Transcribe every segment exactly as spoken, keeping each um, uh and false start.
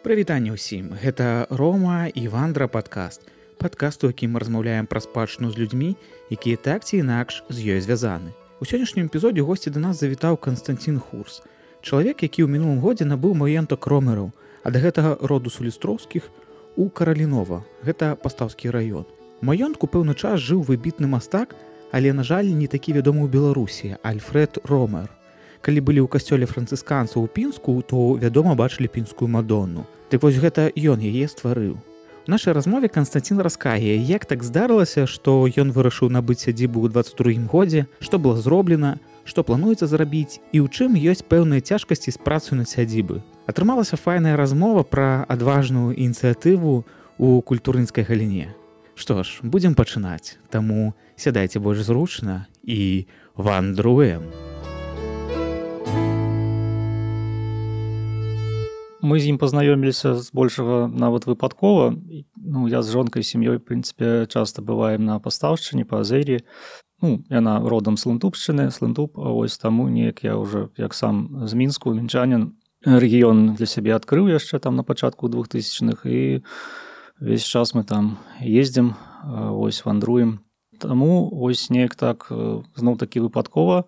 Прывітанне ўсім, гэта Рома і Вандра падкаст. Падкаст, у якім мы размаўляем пра спадчыну з людзьмі, якія так ці інакш з ёй звязаны. У сённяшнім эпізодзе госці да нас завітаў Канстанцін Хурс. Чалавек, які ў мінулым годзе набыў маёнтак ромераў, ад гэтага роду сулістроўскіх у Каралінова. Гэта пастаўскі раён. У маёнтку пэўны час жыў выбітны мастак, але, на жаль, не такі вядомы ў Беларусі, Альфред Ромер. Калі былі ў касцёле францысканцаў у Пінску, то, вядома, бачылі пінскую Мадонну. Дык вось гэта ён яе стварыў. У нашай размове Канстанцін раскае, як так здарылася, што ён вырашыў набыць сядзібу ў дваццаць другім годзе, што было зроблена, што плануецца зрабіць і ў чым ёсць пэўныя цяжкасці з працаю над сядзібы. Атрымалася файная размова пра адважную ініцыятыву ў культурніцкай галіне. Што ж, будзем пачынаць, таму сядайце больш зручна і вандруем. Мы з ім пазнаёміліся збольшага нават выпадкова. Ну, я з жонкай, сям'ёй, в прынцыпе, часта бываем на пастаўшчыне, па Азері. Ну, яна родам з Лынтубшчыны, з Лынтуб, а вось таму неяк я ўжо, як сам з Мінску, мінчанін, рэгіён для сябе адкрыў яшчэ там на пачатку двухтысячных, і весь час мы там ездзім, вось вандруем. Таму вось неяк так, зноў-такі выпадкова,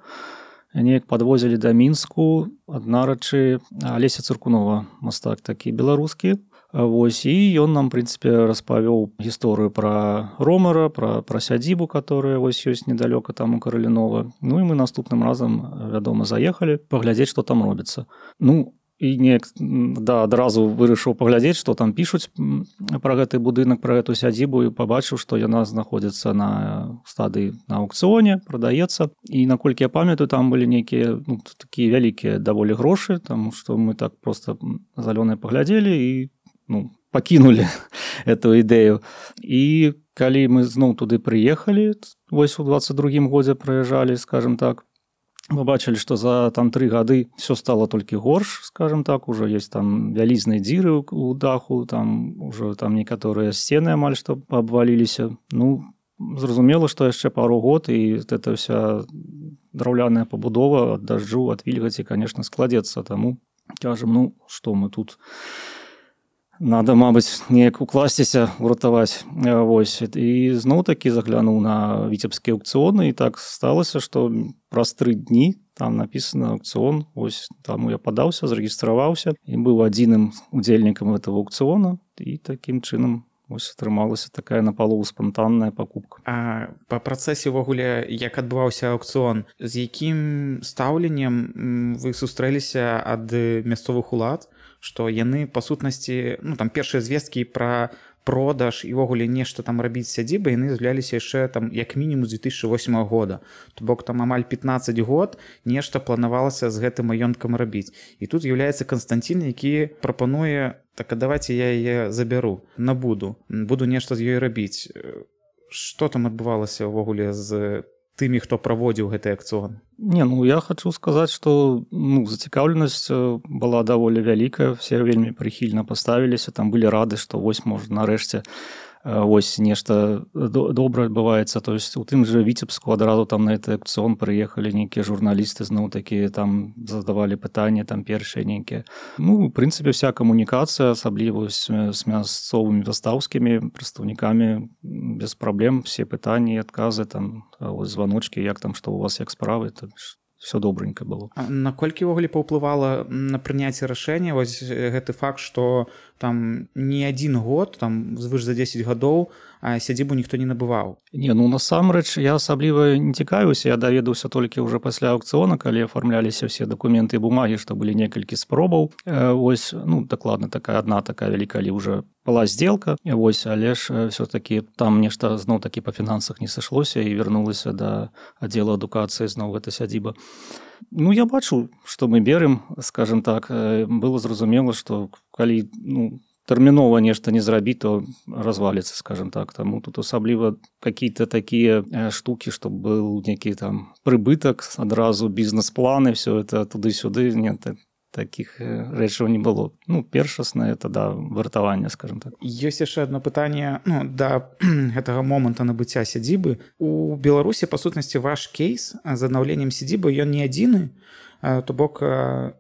неяк падвозілі да Мінску аднарачы Алеся Цыркунова, мастак такі беларускі. Вось, і ён нам, в прынцыпе, распавёў гісторыю пра Ромера, пра, пра сядзібу, которая вось ёсць недалёка там у Каралінова. Ну і мы наступным разам, вядома, заехалі паглядзець, што там робіцца. Ну, і неяк, да, адразу вырашыў паглядзець, што там пішуць пра гэты будынак, пра гэту сядзібу, і пабачыў, што яна знаходзіцца на стадыі на аукцыёне, прадаецца. І наколькі я памятаю, там былі нейкія, ну, такія вялікія даволі грошы, таму што мы так проста залёныя паглядзелі і, ну, пакінулі эту ідэю. І калі мы зноў туды прыехалі, вось у дваццаць другім годзе прыязджалі, скажем так, мы бачылі, што за там тры гады все стало толькі горш, скажем так, уже есть там вялізныя дзіры ў даху, там уже там некаторыя сцены амаль што паабваліліся. Ну, зразумела, што яшчэ пару год, і эта вся драўляная пабудова ад дажджу, ад вільгаці, конечно, складзецца. Таму кажам, ну, што мы тут... Надо, мабыць, неяк укласціся, уратаваць. Вось. І зноў-такі заглянуў на віцебскія аукцыёны, і так сталася, што праз тры дні там напісана аукцыён. Вось таму я падаўся, зарэгістраваўся і быў адзіным удзельнікам гэтага аукцыёна, і такім чынам вось атрымалася такая напалову спантанная пакупка. А па працэсе ўвогуле, як адбываўся аукцыён, з якім стаўленнем вы сустрэліся ад мясцовых улад, што яны, па сутнасці, ну, там першыя звесткі пра продаж і ўвогуле нешта там рабіць сядзібы, яны з'являліся яшчэ там як мінімум з две тысячы восьмага года. То бок там амаль пятнаццаць год нешта планавалася з гэтым маёнткам рабіць. І тут з'яўляецца Канстанцін, які прапануе, так, а давайте я яе забяру, набуду, буду нешта з ёй рабіць. Што там адбывалася ўвогуле з тымі, хто праводзіў гэты аукцыён? Не, ну, я хочу сказаць, што, ну, зацікаўленасць была даволі вялікая, все вельмі прыхільна паставіліся, там былі рады, што вось, можа, нарэшце вось нешта добра адбываецца. То есть у тым жа Віцебску адразу там на гэты аукцыён прыехалі нейкія журналісты, зноў такі там задавалі пытанні, там першыя нейкія. Ну, в прынцыпе, вся камунікацыя, асабліва з мясцовымі пастаўскімі прадстаўнікамі, без праблем, все пытанні і адказы, там вось званочкі, як там, што у вас, як справы, то все добренько было. А наколькі ўвогуле паўплывала на прыняцце рашэння вось гэты факт, што там не адзін год, там звыш за дзесяць гадоў, а сядзібу ніхто не набываў? Не, ну, насамрэч, я асабліва не цікавіўся, я даведаўся толькі ўжо пасля аукцыёна, калі аформляліся ўсе дакументы і бумагі, што былі некалькі спробаў. Вось, ну, дакладна, такая адна такая вялікая, калі ўжо была сделка, вось, але ж все-таки там нешта зноў-такі па фінансах не сышлося і вярнулася да аддзела адукацыі зноў гэта сядзіба. Ну, я бачу, што мы берем, скажем так, было зразумела, што калі, ну, тэрмінова нешта не зрабіць, то разваліцца, скажем так. Таму тут асабліва какие-то такія штукі, што быў нейкі там прыбытак, адразу бізнес-планы, все это туды-сюды, нет, таких рэчаў не было. Ну, першаснае, это, да, вартаванне, скажем так. Ёсць яшчэ одно пытанне, ну, да гэтага моманта набыцця сядзібы. У Беларусі, па сутнасці, ваш кейс з аднаўленнем сядзібы, ён не адзіны. то бок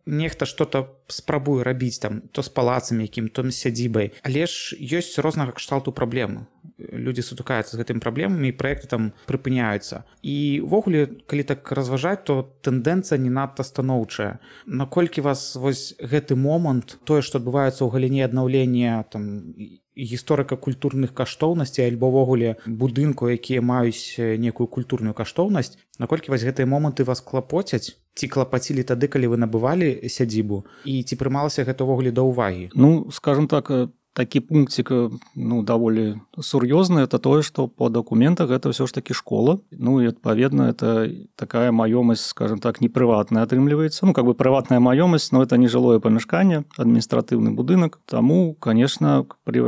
нехта что-то спрабуе рабіць там то з палацамі якім, то з сядзібай, але ж ёсць рознага кшталту праблемы. Людзі сутыкаюцца з гэтымі праблемамі і праекты там прыпыняюцца. І ўвогуле, калі так разважаць, то тэндэнцыя не надта станоўчая. Наколькі вас вось гэты момант, тое, што адбываецца ў галіне аднаўлення там гісторыка-культурных каштоўнасцей альбо ўвогуле будынку, якія маюць некую культурную каштоўнасць, наколькі вось гэтыя моманты вас клапоцяць, ці клапацілі тады, калі вы набывалі сядзібу, і ці прымалася гэта ўвогуле да ўвагі? Ну, скажем так, такі пунктик, ну, даволі сур'ёзны, это тое, што по дакументах гэта ўсё ж такі школа. Ну, і адпаведна, это такая маёмасць, скажем так, не прыватная атрымліваецца. Ну, как бы прыватная маёмасць, но это не жылое памяшканне, адміністратыўны будынак. Таму, конечно, при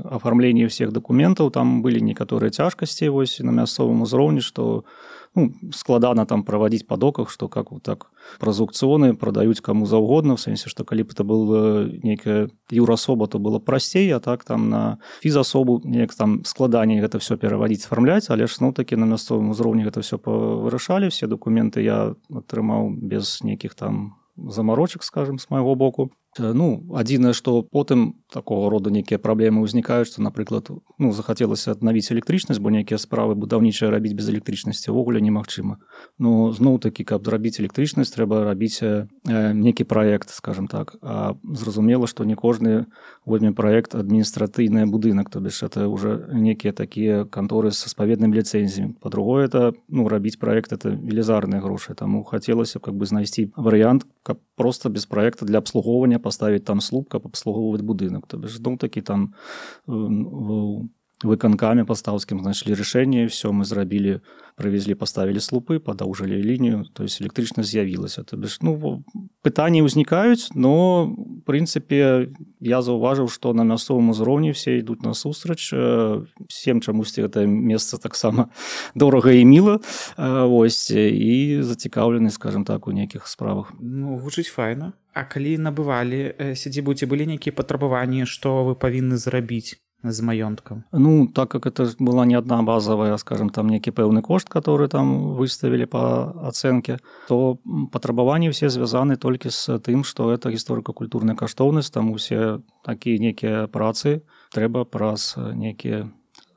афармлении всех дакументаў там былі некаторыя цяжкасці вось на мясцовым узроўні, што ну, складана там праводить по доках, что как вот так праз аукционы продаюць кому заўгодна, в сэнсе, что калі б это был некая юрасоба, то было прасцей, а так там на фізасобу неяк там складаней гэта все пераводить, сфармляць, але ж ну таки на мясцовым узроўні гэта все вырашалі, все документы я атрымаў без нейкіх там замарочак, скажем, с майго боку. Ну, адзінае, што потым такого роду нейкія праблемы ўзнікаюць, што, напрыклад, ну, захацелася аднавіць электрычнасць, бо нейкія справы будаўнічыя рабіць без электрычнасці ўвогуле немагчыма. Ну, зноў-такі, каб зрабіць электрычнасць, трэба рабіць э, нейкі праект, скажем так. А зразумела, што не кожны возьме праект адміністратыйны будынак, то бишь это уже некія такія канторы са спаведным ліцэнзіям. Па-другое, это, ну, рабіць праект, это велізарныя грошы. Таму хацелася как бы знайсці варыянт, каб просто без праекта для абслугоўвання поставить там слуп, каб абслугоўваць будынак. То бишь, ну, такі там выканкамі пастаўскім знайшлі рашэнне, все мы зрабілі, прывезлі, поставілі слупы, падаўжылі лінію, то есть электрычнасць з'явілася. То бишь, ну, пытанні ўзнікаюць, но в прынцыпе я заўважыў, што на мясцовым узроўні все ідуць насустрач, всем чамусьці гэта месца таксама дорага і міла, ось, і зацікаўлены, скажем так, у нейкіх справах. Ну, гучыць файна. А калі набывалі сядзібу, ці былі нейкія патрабаванні, што вы павінны зрабіць з маёнткам? Ну, так как это была не одна базовая, скажем, там некий пэўны кошт, который там выставили по оценке, то патрабаванні все звязаны толькі з тым, што это гісторыка-культурная каштоўнасць, там усе такія некія працы трэба праз некія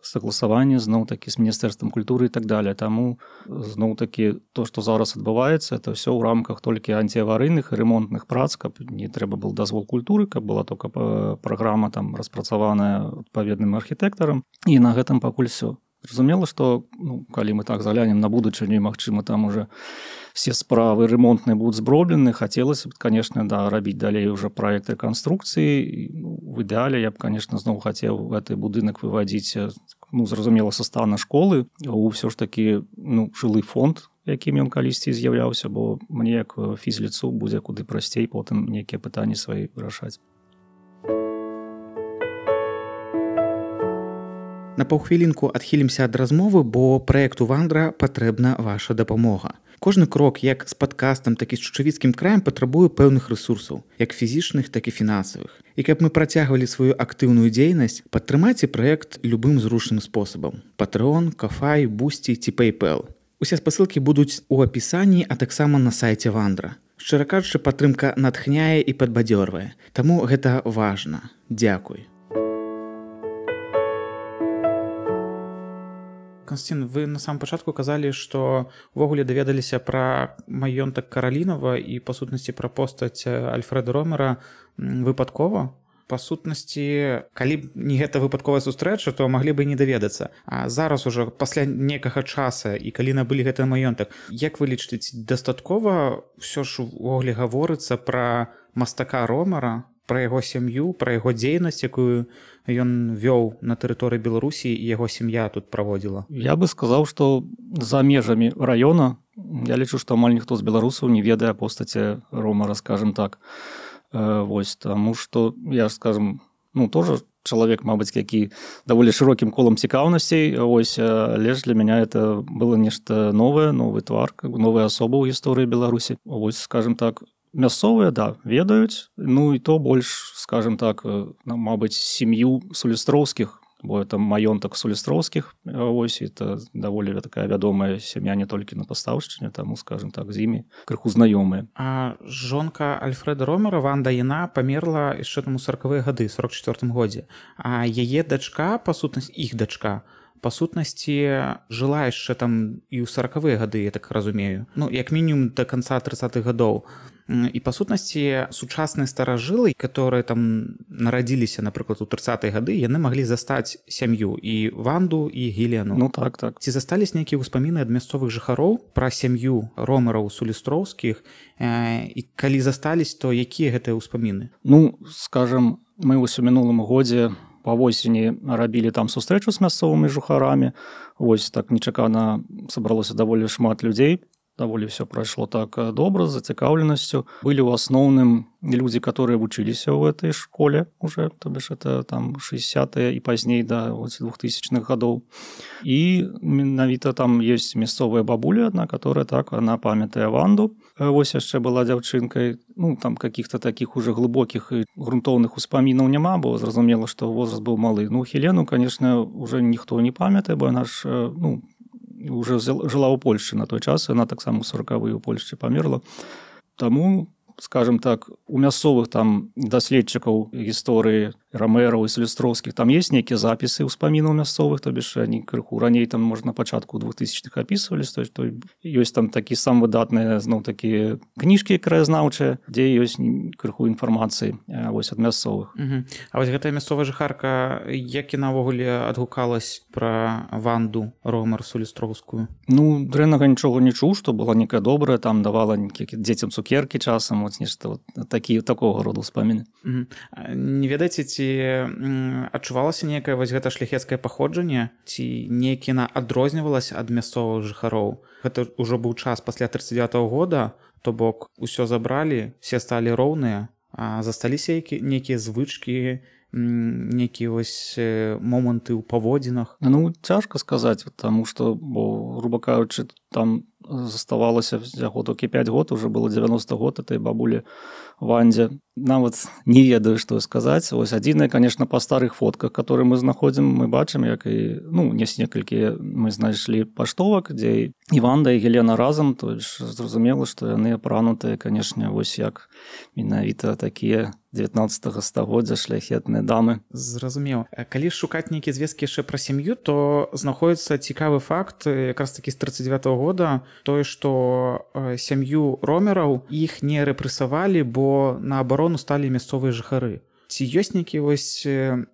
согласаванне зноў-такі з міністэрствам культуры і так далее. Таму зноў-такі то, што зараз адбываецца, это ўсё ў рамках толькі антиаварыйных і ремонтных прац, каб не трэба был дазвол культуры, каб была только праграма там распрацаваная адпаведным архітэктарам. І на гэтым пакуль все. Зразумела, што ну, калі мы так заглянем на будучыню, магчыма, там уже все справы ремонтные будут зроблены, хацелася б, конечно, да, рабіць далей уже проект рэканструкцыі. Ну, в ідэале я б, конечно, зноў хацеў гэты будынак выводзіць, ну, зразумела, са стана школы у ўсё ж такі ну, жылы фонд, якім ён калісьці з'яўляўся, бо мне як фізліцу будзе куды прасцей потым нейкія пытанні свае вырашаць. На паўхвілінку адхілімся ад размовы, бо праекту Вандра патрэбна ваша дапамога. Кожны крок як з падкастам, так і з чучавіцкім краем патрабуе пэўных рэсурсаў, як фізічных, так і фінансавых. І каб мы працягвалі сваю актыўную дзейнасць, падтрымайце праект любым зручным спосабам. Patreon, Ko-fi, Boosty ці PayPal. Усе спасылкі будуць у апісанні, а таксама на сайце Вандра. Шчыра кажучы, падтрымка натхняе і падбадзёрвае. Таму гэта важна. Дзякуй. Константин, вы на самом пачатку казалі, што ўвогуле даведаліся пра маёнтак Каралінава і, па сутнасці, пра постаць Альфрэда Ромера выпадкова. Па сутнасці, калі б не гэта выпадковая сустрэча, то маглі бы і не даведацца. А зараз ужо пасля некага часа і калі набылі гэты маёнтак, як вы лічыце, дастаткова ўсё ж увогуле гаворыцца пра мастака Ромера, пра яго сям'ю, пра яго дзейнасць, якую ён вёў на тэрыторыі Беларусі і яго сям'я тут праводзіла? Я бы сказаў, што за межамі раёна я лічу, што амаль ніхто з беларусаў не ведае постаці Ромера, скажем так. Вось, таму што я, скажем, ну, тоже чалавек, мабыць, які даволі шырокім колам цікаўнасцей, ось, але ж для мяне это было нешта новае, новы твар, новая асоба ў гісторыі Беларусі. Вось, скажем так, мясцовыя, да, ведаюць, ну і то больш, скажем так, мабыць, сям'ю Сулістроўскіх бо это маёнтак Сулістроўскіх, вось, это даволі такая вядомая сям'я не толькі на Пастаўшчыне, таму, скажем так, з імі крыху знаёмыя. А жонка Альфрэда Ромера, Ванда, яна памерла яшчэ там у сорокавыя гады, сорок чацвёртым годзе. А яе дачка, па сутнасці, іх дачка, па сутнасці жыла яшчэ там і ў сорокавыя гады, я так разумею. Ну, як мінімум да канца трыццатых гадоў. І па сутнасці сучасныя старажылы, которые там нарадзіліся, напрыклад, у трыццатыя гады, яны маглі застаць сям'ю і Ванду, і Гелену. Ну так, так. Ці застались нейкія ўспаміны ад мясцовых жыхароў пра сям'ю Ромераў Сулістроўскіх, і калі застались, то якія гэтыя ўспаміны? Ну, скажем, мы вось у мінулым годзе па восені рабілі там сустрэчу з мясцовымі жыхарамі. Вось так нечакана сабралося даволі шмат людзей. Даволі все прайшло так добра, з зацікаўленасцю. Былі ў асноўным людзі, которые вучыліся ў этой школе уже, то бишь это там шэсцятыя і пазней да двухтысячных гадоў. І менавіта там есть мясцовая бабуля одна, которая так, она памятае Ванду. Вось яшчэ была дзяўчынкай. Ну, там каких-то таких уже глыбокіх і грунтоўных успамінаў няма, бо зразумела, што возраст быў малы. Ну, Хелену, конечно, уже ніхто не памятае, бо она ж, ну, уже жила ў Польшчы на той час, яна таксама ў сорокавыя ў Польшчы памерла. Таму, скажем так, у мясцовых там даследчыкаў гісторыі Ромераў і Сулістроўскіх там есть нейкія запісы ўспамінаў мясцовых, то бишь они крыху раней там, можна, на пачатку двухтысячных апісвались, то есть то ёсць там такі сам выдатныя, зноў такі кніжкі краязнаўчыя, дзе ёсць крыху інфармацыі вось ад мясцовых. Угу. А вось гэтая мясцовая жыхарка, як яна ўвогуле адгукалась пра Ванду Ромер Сулістроўскую? Ну, дрэннага нічога не чуў, што была некая добрая, там давала дзецям цукеркі часам, вот нешта вот такі такога роду ўспаміны. Угу. Не ведаеце, ці адчувалася некае вось гэта шляхецкае паходжанне, ці нейкі яна адрознівалася ад мясцовых жыхароў? Гэта ўжо быў час пасля тридцать девятого года, то бок усё забралі, все сталі роўныя, а засталіся нейкія звычкі, нейкія вось моманты ў паводзінах? Ну, цяжка сказаць, таму што, бо, груба кажучы, там заставалася всяго толькі пяць год, уже было девяносто год этой бабулі Вандзе. Нават не ведаю, што сказаць. Вось адзінае, конечно, па старых фотках, которые мы знаходзім, мы бачым, як і, ну, есть некалькі мы знайшлі паштовак, дзе і Ванда, і Гелена разам, то зразумела, што яны апранутыя, конечно, вось як менавіта такія дзевятнаццатага стагоддзя шляхетныя дамы. Зразумеў. Калі шукаць нейкія звесткі яшчэ пра сям'ю, то знаходзіцца цікавы факт, якраз такі з тридцать девятого года, тое, што сям'ю Ромераў іх не рэпрэсавалі, бо на абарону сталі мясцовыя жыхары. Ці ёсць нейкія вось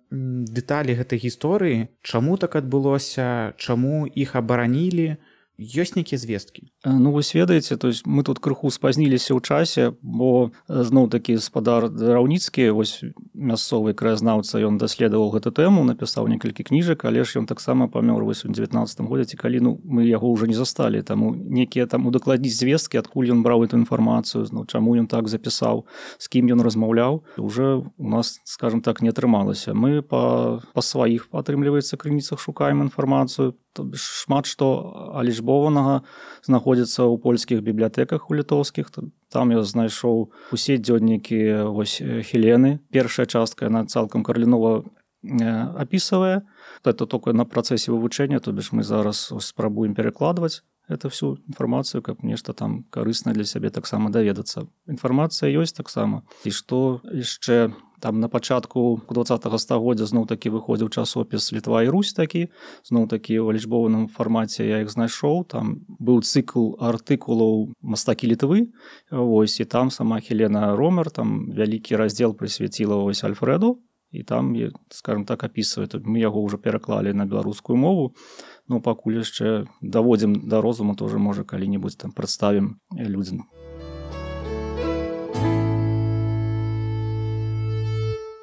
дэталі гэтай гісторыі? Чаму так адбылося? Чаму іх абаранілі? Ёсць нейкія звесткі? Ну, вы ведаеце, то есть мы тут крыху спазніліся ў часе, бо зноў-такі спадар Драўніцкі, вось мясцовы краязнаўца, ён даследаваў гэту тэму, напісаў некалькі кніжак, але ж ён таксама памёр вось у дзевятнаццатым годзе, ці калі, ну, мы яго ўжо не засталі, таму некія там удакладніць звесткі, адкуль ён браў эту інфармацыю, ну, чаму ён так запісаў, з кім ён размаўляў, уже у нас, скажем так, не атрымалася. Мы па, па сваіх, атрымліваецца, крыніцах шукаем інфармацыю, то шмат што алічбованага знаходзіцца ў польскіх бібліятэках у літоўскіх. Там я знайшоў усе дзённікі вось Хелены. Першая частка, яна цалкам карлінова апісавае. Это толькі на працэсе вывучэння, то бишь мы зараз спрабуем перакладваць эту всю інфармацыю, каб нешта там карыснае для сябе таксама даведацца. Інфармацыя ёсць таксама. І што яшчэ там на пачатку двадцатага стагоддзя зноў-такі выходзіў часопіс «Літва і Русь» такі, зноў-такі ў лічбованым фармаце я іх знайшоў. Там быў цыкл артыкулаў «Мастакі Літвы», вось, і там сама Хелена Ромер, там вялікі раздзел прысвяціла вось Альфрэду, і там, скажем так, апісвае. Мы яго ўжо пераклалі на беларускую мову, но пакуль яшчэ даводзім да розуму, тоже, можа, калі-небудзь там прадставім людзям.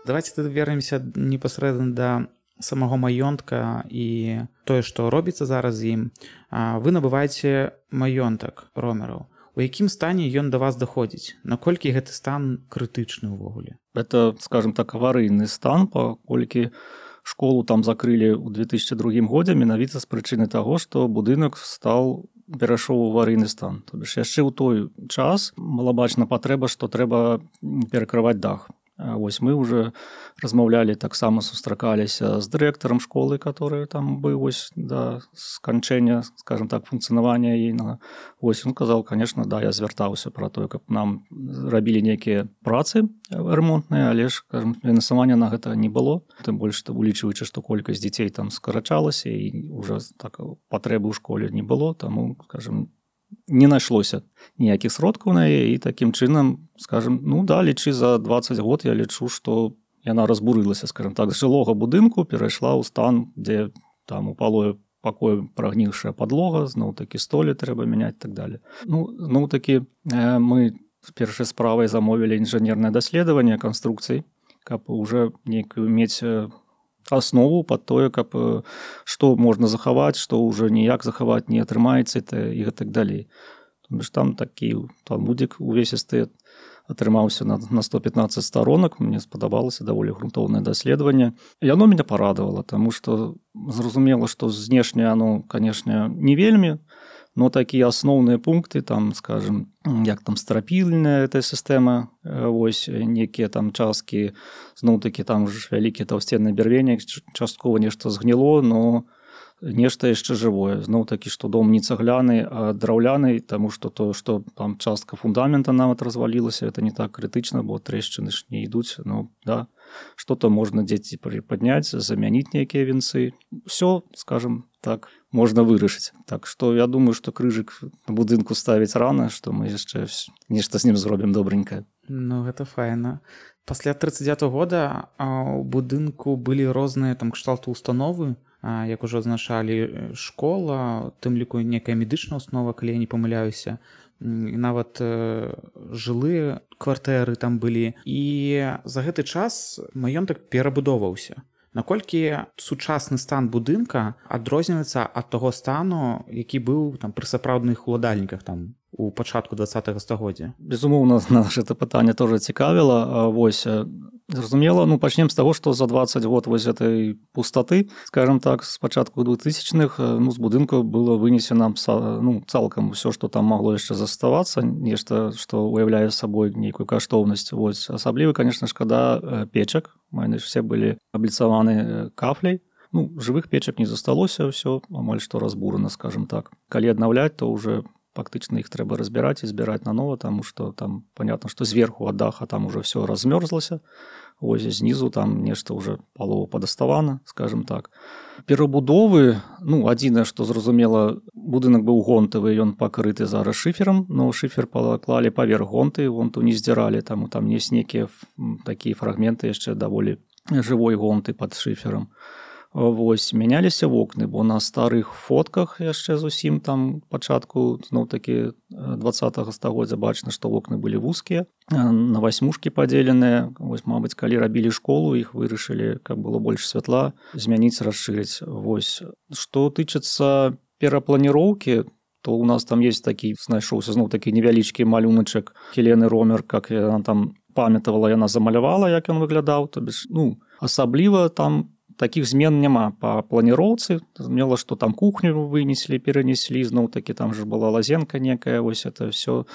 Давайте тады вернемся непасрэдна да самого маёнтка і тое, што робіцца зараз з ім. Вы набываеце маёнтак Ромераў. У якім стане ён да вас даходзіць? Наколькі гэты стан крытычны ўвогуле? Это, скажем так, аварыйны стан, паколькі школу там закрылі ў две тысячи другім годзе менавіта з прычыны таго, што будынак стаў перайшоў у аварыйны стан. То бишь яшчэ ў той час была бачна патрэба, што трэба перакрываць дах. Вось мы уже размаўлялі, таксама сустракаліся з дырэктарам школы, который там быў вось да сканчэння, скажем так, функцыянавання ейнага. Вось ён казаў, конечно, да, я звяртаўся пра тое, каб нам рабілі нейкія працы ремонтныя, але ж, скажем, фінансавання на гэта не было. Тым больш, улічваючы, што колькасць дзяцей там скарачалася і уже так патрэбы ў школе не было, таму, скажем, не нашлося ніякіх сродкаў на яе, і такім чынам, скажем, ну да, лічы за дваццаць год я лічу, што яна разбурылася, скажем так, з жылога будынку перайшла ў стан, дзе там у палое пакою прагнівшая падлога, зноў-такі столі трэба мяняць і так далее. Ну, зноў-такі мы з першай справай замовілі інжынернае даследаванне канструкцый, каб уже нейкую мець аснову пад тое, каб што можна захаваць, што ўжо ніяк захаваць не атрымаецца і гэтак далей. Там такі талмудзік увесісты атрымаўся на, на сто пятнаццаць сторонак, мне спадабалася даволі грунтоўнае даследаванне. Яно мяне парадавала, таму што зразумела, што знешне оно, канешне, не вельмі, но такія асноўныя пункты, там, скажем, як там страпільная эта сістэма, вось некія там часткі, зноў-такі там ж вялікія таўсценныя бярвенні, часткова нешта згніло, но нешта яшчэ жывое. Зноў-такі, што дом не цагляны, а драўляны, таму што то, што там частка фундамента нават развалілася, это не так крытычна, бо трэшчыны ж не ідуць, ну, да, што-то можна дзеці прыпадняць, замяніць нейкія венцы. Усё, скажем так, можна вырашыць. Так што я думаю, што крыжык на будынку ставіць рана, што мы яшчэ нешта з ім зробім добренькае. Ну, гэта файна. Пасля тридцать девятого года у будынку былі розныя там кшталту установы, як ужо азначалі, школа, тым ліку некая медычная установа, калі я не памыляюся, і нават жылыя кватэры там былі. І за гэты час маёнтак перабудоўваўся. Наколькі сучасны стан будынка адрозніваецца ад таго стану, які быў там пры сапраўдных уладальніках там у пачатку двадцатага стагоддзя? Безумоўна, нас гэта пытанне тоже цікавіла. Вось, зразумела, ну, пачнем з таго, што за двадцать год вось гэтай пустаты, скажем так, з пачатку двухтысячных, ну, з будынку было вынесена, ну, цалкам усё, што там магло яшчэ заставацца, нешта, што уяўляе сабой нейкую каштоўнасць. Вось, асабліва, конечно, шкада печак, яны все былі абліцаваны кафляй. Ну, жывых печак не засталося, ўсё амаль што разбурана, скажем так. Калі аднаўляць, то уже фактычна іх трэба разбіраць і збіраць нанова, таму што там понятно, што зверху ад даха там уже все размёрзлася, ось знізу там нешта уже палова падаставана, скажем так. Перабудовы, ну, адзінае, што зразумела, будынак быў гонтавы, ён пакрыты зараз шыферам, но шыфер паклалі паверх гонты, гонту не здзіралі, таму там ёсць нейкія такія фрагменты яшчэ даволі жывой гонты пад шыферам. Вось, мяняліся вокны, бо на старых фотках яшчэ зусім там пачатку, зноў-такі двадцатага стагоддзя бачна, што вокны былі вузкія, на васьмушкі падзеленыя. Вось, мабыць, калі рабілі школу, іх вырашылі, каб было больш святла, змяніць, расшырыць. Вось, што тычыцца перапланіроўкі, то у нас там есть такі, знайшоўся зноў-такі невялічкі малюначак Хелены Ромер, как яна там памятавала, яна замалявала, як ён выглядаў, то бишь, ну, асабліва там таких змен няма па планіроўцы. Зразумела, што там кухню вынеслі, перанеслі, зноў-такі там же была лазенка некая, вось это все,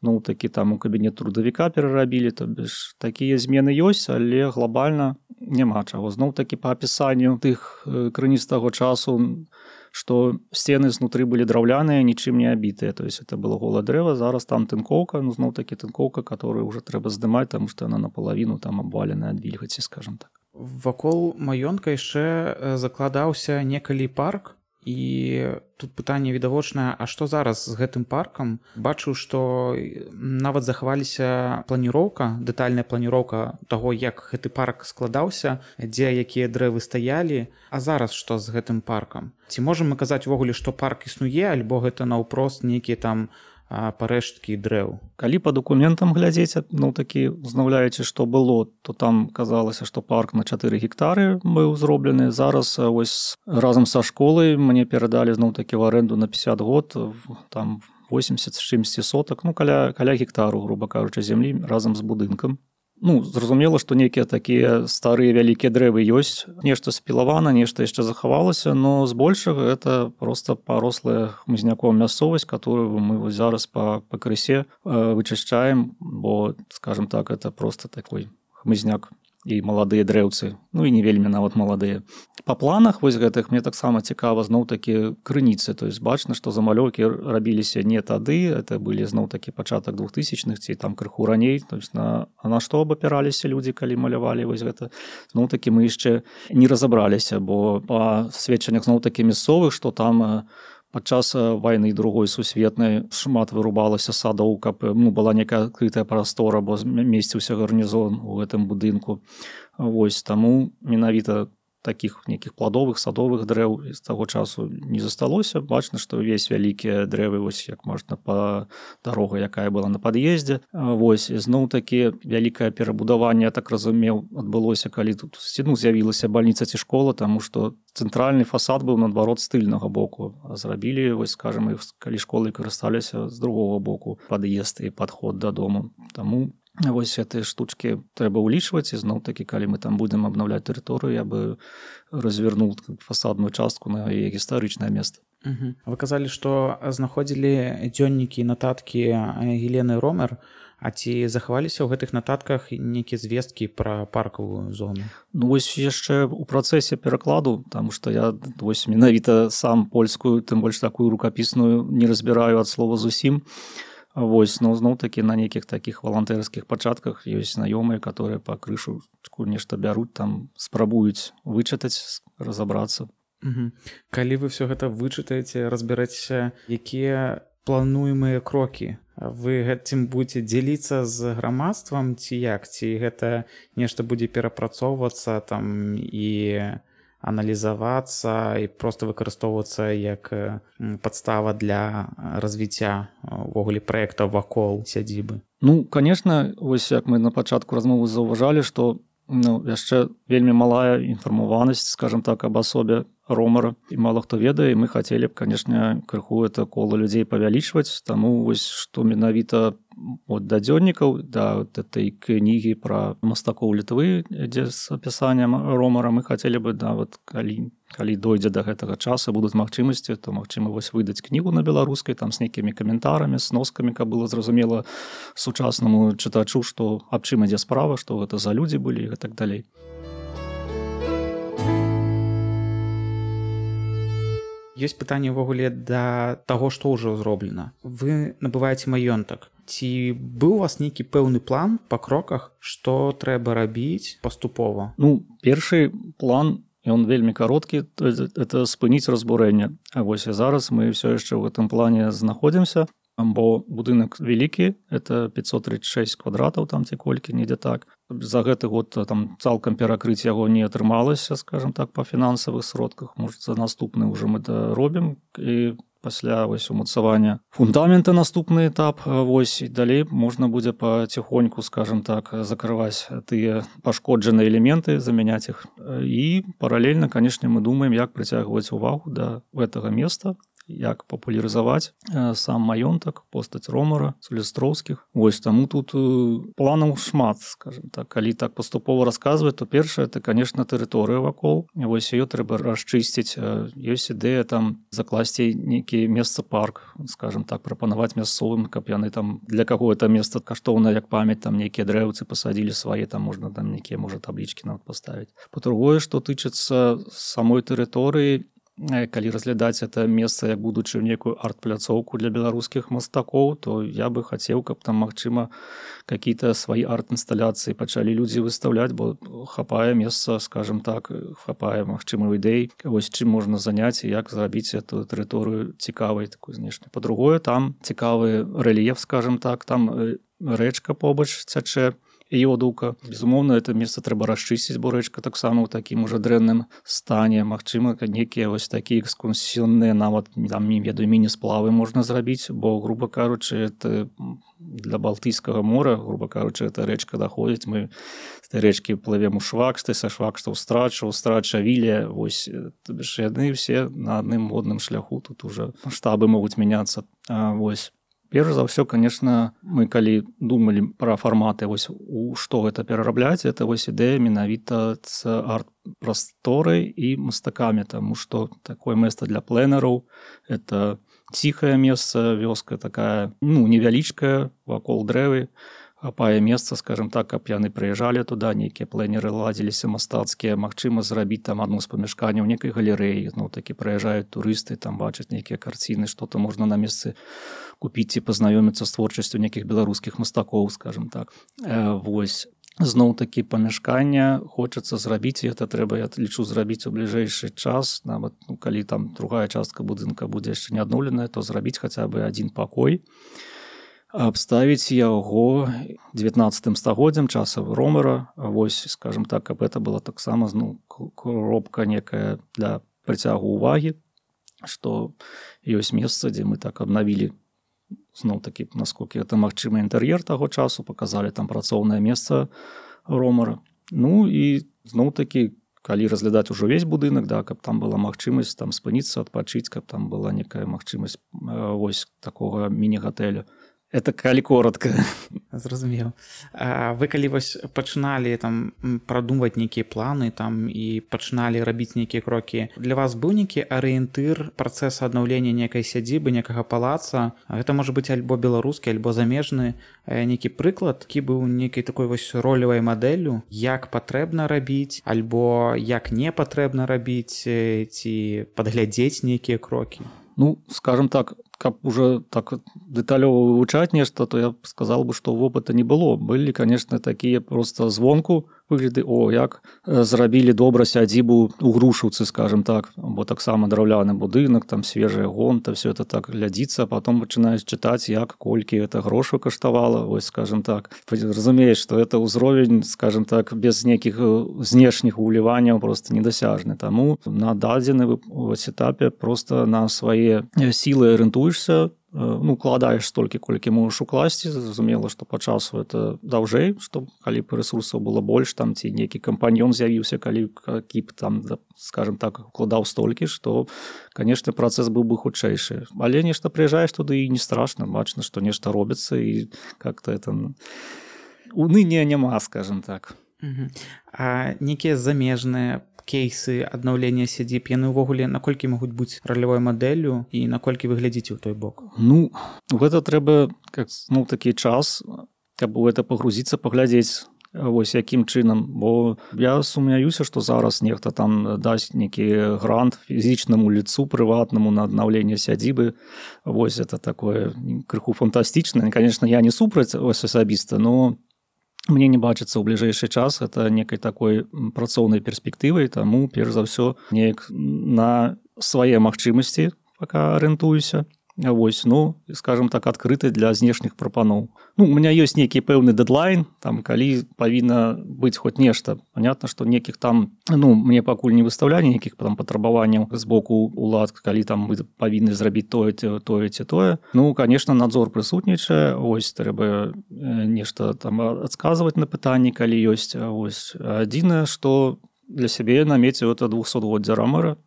ну, такі там у кабінет трудавіка перарабілі, то бишь такія змены ёсць, але глобальна няма чаго. Зноў-такі па апісанню тых крыніц таго часу, што сцены знутры былі драўляныя, нічым не абітыя, то есть это было голае дрэва, зараз там тынкоўка, ну, зноў-такі тынкоўка, которую уже трэба здымаць, таму што яна напалавіну там абваленая ад вільгаці, скажем так. Вакол маёнтка яшчэ закладаўся некалі парк, і тут пытанне відавочнае, а што зараз з гэтым паркам? Бачу, што нават захаваліся планіроўка, дэтальная планіроўка таго, як гэты парк складаўся, дзе якія дрэвы стаялі. А зараз што з гэтым паркам? Ці можам мы казаць увогуле, што парк існуе, альбо гэта наўпрост нейкія там парэшткі дрэў? Калі па дакументам глядзець, ну, такі, узнаўляючы, што было, то там казалася, што парк на чатыры гектары быў зроблены. Зараз вось разам са школай мне перадалі зноў-такі ў арэнду на пятьдесят год, там восемьдесят з чымсьці сотак, ну, каля, каля гектару, груба кажучы, зямлі разам з будынкам. Ну, зразумела, што нейкія такія старыя вялікія дрэвы ёсць, нешта спілавана, нешта яшчэ захавалася, но збольшага это проста парослая хмызняком мясцовасць, которую мы зараз па пакрысе вычышчаем, бо, скажем так, это просто такой хмызняк і маладыя дрэўцы, ну і не вельмі нават маладыя. Па планах вось гэтых мне таксама цікава зноў-такі крыніцы, то есть бачна, што замалёўкі рабіліся не тады, это былі зноў-такі пачатак двухтысячных ці там крыху раней, то есть на, а на што абапіраліся людзі, калі малявалі вось гэта. Зноў-такі мы яшчэ не разабраліся, бо па сведчаннях зноў-такі мясцовых, што там падчас вайны другой сусветнай шмат вырубалася садоў, каб ну, была некая адкрытая прастора, бо месціўся гарнізон у гэтым будынку. Вось, таму менавіта такіх нейкіх пладовых, садовых дрэў з таго часу не засталося. Бачна, што ўвесь вялікія дрэвы, вось як можна па дарога, якая была на пад'ездзе. Вось, зноў-такі вялікае перабудаванне, я так разумеў, адбылося, калі тут ну, з'явілася бальніца ці школа, таму што цэнтральны фасад быў наадварот з тыльнага боку. А зрабілі, вось, скажем, калі школы карысталіся з другога боку пад'езд і падход дадому. Таму вось гэтыя штучкі трэба ўлічваць, і зноў-такі, калі мы там будзем абнаўляць тэрыторыю, я бы развернуў фасадную частку на яе гістарычнае месца. Угу. Вы казалі, што знаходзілі дзённікі і нататкі Гелены Ромер, а ці захаваліся ў гэтых нататках нейкія звесткі пра паркавую зону? Ну вось яшчэ ў працэсе перакладу, таму што я вось менавіта сам польскую, тым больш такую рукапісную, не разбіраю ад слова зусім. Вось, но зноў-такі на нейкіх такіх валантэрскіх пачатках ёсць знаёмыя, которые па крышу нешта бяруць, там спрабуюць вычытаць, разабрацца. Угу. Калі вы все гэта вычытаеце, разбярэцеся, якія плануемыя крокі, вы гэтым будзеце дзеліцца з грамадствам ці як? Ці гэта нешта будзе перапрацоўвацца там і аналізавацца і проста выкарыстоўвацца як падстава для развіцця увогуле праектаў вакол сядзібы? Ну, конечно, вось як мы на пачатку размовы заўважалі, што ну, яшчэ вельмі малая інфармаванасць, скажем так, аб асобе Ромера, і мала хто ведае, і мы хацелі б, канешне, крыху это кола людзей павялічваць, таму вось што менавіта от да дзённікаў, да этой кнігі пра мастакоў Літвы, дзе з апісаннем Ромера, мы хацелі бы, да, вот, калі, калі дойдзе да гэтага часу, будуць магчымасці, то магчыма вось выдаць кнігу на беларускай, там з нейкімі каментарамі, сноскамі, каб было зразумела сучаснаму чытачу, што аб чым ідзе справа, што гэта за людзі былі і так далей. Ёсць пытанне ўвогуле да таго, што ўжо зроблена. Вы набываеце маёнтак. Ці быў у вас нейкі пэўны план па кроках, што трэба рабіць паступова? Ну, першы план, ён вельмі кароткі, это спыніць разбурэнне. А вось і зараз мы ўсё яшчэ ў гэтым плане знаходзімся, бо будынак вялікі, это пятьсот тридцать шесть квадратаў, там ці колькі, недзе так. За гэты год там цалкам перакрыць яго не атрымалася, скажем так, па фінансавых сродках. Можа, за наступны ўжо мы это робім, і пасля вось умацавання фундамента наступны этап, вось і далей можна будзе паціхоньку, скажем так, закрываць тыя пашкоджаныя элементы, замяняць іх. І паралельна, канешне, мы думаем, як прыцягваць увагу да гэтага места, як папулярызаваць сам маёнтак, постаць Ромера, Сулістроўскіх. Вось, таму тут планаў шмат, скажем так. Калі так паступова расказваць, то першае, это, конечно, тэрыторыя вакол. Вось ее трэба расчысціць. Ёсць ідэя там закласці нейкі месца-парк, скажем так, прапанаваць мясцовым, каб яны там для каго это месца каштоўна, як памяць, там нейкія дрэўцы пасадзілі свае, там можна там нейкія, можа, таблічкі нават паставіць. Па-другое, што тычыцца самой тэрыторыі, калі разглядаць это месца як будучы некую арт-пляцоўку для беларускіх мастакоў, то я бы хацеў, каб там, магчыма, какие-то свои арт-інсталяцыі пачалі людзі выстаўляць, бо хапае месца, скажем так, хапае, магчыма, ідэй, вось чым можна заняць і як зрабіць эту тэрыторыю цікавай такой знешне. Па-другое, там цікавы рэльеф, скажем так, там рэчка побач цячэ, Йодука. Безумоўна, это месца трэба расчысціць, бо рэчка таксама ў такім ужо дрэнным стане. Магчыма, некія вось такія экскурсіённыя, нават там, не ведаю, міні-сплавы можна зрабіць, бо, груба кажучы, это для Балтыйскага мора, груба кажучы, эта рэчка даходзіць. Мы з этой рэчкі плывем у Швакшты, са Швакшта ў Страча, ў Страча Вілія. Вось, яны ўсе на адным водным шляху. Тут уже маштабы могуць мяняцца. А, вось. Перш за ўсё, конечно, мы калі думалі пра фарматы, вось у што гэта перарабляць, это вось ідэя менавіта з арт-прасторай і мастакамі, таму што такое месца для пленэраў, это ціхае месца, вёска такая, ну, невялічкая, вакол дрэвы, хапае месца, скажем так, каб яны прыязджалі туды, нейкія плэнеры ладзіліся мастацкія, магчыма зрабіць там адно з памяшканняў некай галерэі, ну такі прыязджаюць турысты, там бачаць нейкія карціны, што-то можна на месцы купіць ці пазнаёміцца з творчасцю нейкіх беларускіх мастакоў, скажем так. Э, вось. Зноў-такі памяшкання хочацца зрабіць, і гэта трэба, я лічу, зрабіць у бліжэйшы час, нават ну, калі там другая частка будынка будзе яшчэ не адноўленая, то зрабіць хаця бы адзін пакой, абставіць яго дзевятнаццатым стагоддзям часа ромара, вось, скажем так, каб гэта была таксама ну, кропка некая для прыцягу ўвагі, што ёсць месца, дзе мы так абнавілі зноў-такі, насколькі гэта магчыма інтэр'ер таго часу, паказалі там працоўнае месца ромара. Ну і зноў-такі, калі разглядаць ужо ўвесь будынак, да, каб там была магчымасць там спыніцца, адпачыць, каб там была некая магчымасць вось такога міні-гатэля. Это калі коротка. Зразумеў. Вы калі вось пачыналі там прадумваць нейкія планы там і пачыналі рабіць нейкія крокі, для вас быў нейкі арыентыр працэсу аднаўлення нейкай сядзібы, некага палаца? Гэта можа быць альбо беларускі, альбо замежны, нейкі прыклад, які быў нейкай такой вось ролевай мадэллю, як патрэбна рабіць, альбо як не патрэбна рабіць, ці падглядзець нейкія крокі? Ну, скажем так, каб уже так дэталёва вывучаць нешта, то я б сказал бы, што вопыта не было. Былі, конечно, такія просто звонку выгляды, о, як зрабілі добра сядзібу у Грушаўцы, скажем так, бо таксама драўляны будынак, там свежая гонта, все это так глядзіцца, а потом пачынаеш чытаць, як, колькі это грошаў каштавала, вось, скажем так. Разумееш, што это ўзровень, скажем так, без нейкіх знешніх уліванняў просто недасяжны. Таму на дадзены вось этапе просто на свае сілы арыентуешся, ну, укладаеш столькі, колькі можаш укласці, зразумела, што па часу это даўжэй, што калі б рэсурсаў было больш, там ці нейкі кампаньён з'явіўся, калі кіп там, скажем так, укладаў столькі, што, конечно, працэс быў бы хутчэйшы. Але нешта прыязджаеш туды і не страшна, бачна, што нешта робіцца і как-то это уныния няма, скажем так. Угу. А нейкія замежныя кейсы аднаўлення сядзіб, яны ўвогуле наколькі могуць быць ролевой мадэллю і наколькі вы глядзіце ў той бок? Ну, гэта трэба как, ну, такі час, каб у гэта пагрузіцца, паглядзець, вось якім чынам, бо я сумняюся, што зараз нехта там дасць нейкі грант фізічнаму лицу прыватнаму на аднаўленне сядзібы. Вось это такое крыху фантастычнае. Конечно, я не супраць ось асабіста, но мне не бачыцца ў бліжэйшы час это некай такой працоўнай перспектывай, таму перш за ўсё неяк на свае магчымасці пока арыентуюся. Вось, ну, скажем так, адкрыты для знешніх прапаноў. Ну, у меня ёсць нейкі пэўны дэдлайн, там, калі павінна быць хоць нешта. Понятно, што некіх там, ну, мне пакуль не выставлялі нейкіх там патрабаванняў з боку улад, калі там мы павінны зрабіць тое, тое ці тое. Ну, конечно, надзор прысутнічае, ось, трэба нешта там адказваць на пытанні, калі ёсць. Ось, адзінае, што для сябе намеціў это двухсотгоддзя ромара,